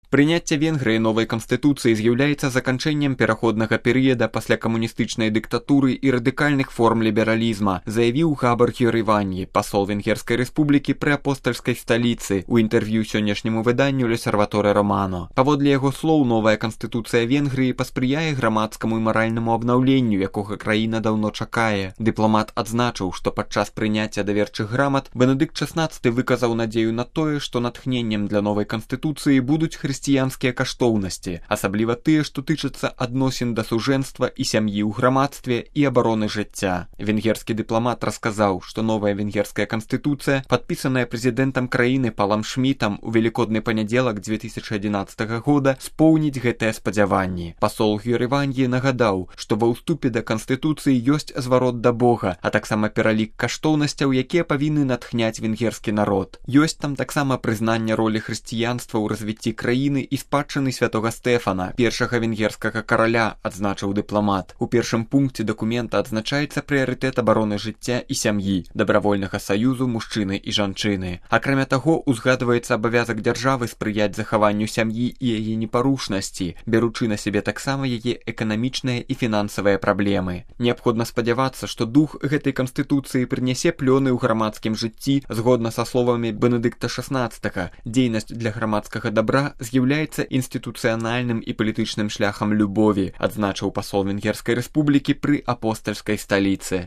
Прыняцце Венгрыі новай канстытуцыі з'яўляецца заканчэннем пераходнага перыяда пасля камуністычнай дыктатуры і радыкальных форм лібералізма, заявіў Габор Гёрываньі, пасол Венгерскай рэспублікі пры апостальскай сталіцы, у інтэрв'ю сённяшняму выданню L'Osservatore Romano. Паводле яго слоў, новая канстытуцыя Венгрыі паспрыяе грамадскаму і маральнаму абнаўленню, якога краіна даўно чакае. Дыпламат адзначыў, што падчас прыняцця даверчых грамат Бенедыкт XVI выказаў надзею на тое, што натхненнем для новай канстытуцыі будуць хрысціянскія каштоўнасці, асабліва тыя, што тычацца адносін да сужэнства і сям'і ў грамадстве і абароны жыцця. Венгерскі дыпламат расказаў, што новая венгерская канстытуцыя, падпісаная прэзідэнтам краіны Палам Шмітам у велікодны панядзелак 2011 года, споўніць гэтыя спадзяванні. Пасол Гёрываньі нагадаў, што ва ўступе да канстытуцыі ёсць зварот да Бога, а таксама пералік каштоўнасцяў, якія павінны натхняць венгерскі народ. Ёсць там таксама прызнанне ролі хрысціянства ў развіцці краіны і спадчыны святога Стэфана, першага венгерскага караля, адзначыў дыпламат. У першым пункце дакумента адзначаецца прыярытэт абароны жыцця і сям'і, дабравольнага саюзу мужчыны і жанчыны. Акрамя таго, узгадваецца абавязак дзяржавы спрыяць захаванню сям'і і яе непарушнасці, бяручы на сябе таксама яе эканамічныя і фінансавыя праблемы. Неабходна спадзявацца, што дух гэтай канстытуцыі прынясе плёны ў грамадскім жыцці. Згодна са словамі Бенедыкта XVI, дзейнасць для грамадскага дабра з'яўляецца інстытуцыянальным і палітычным шляхам любові, адзначыў пасол Венгерскай рэспублікі пры апостальскай сталіцы.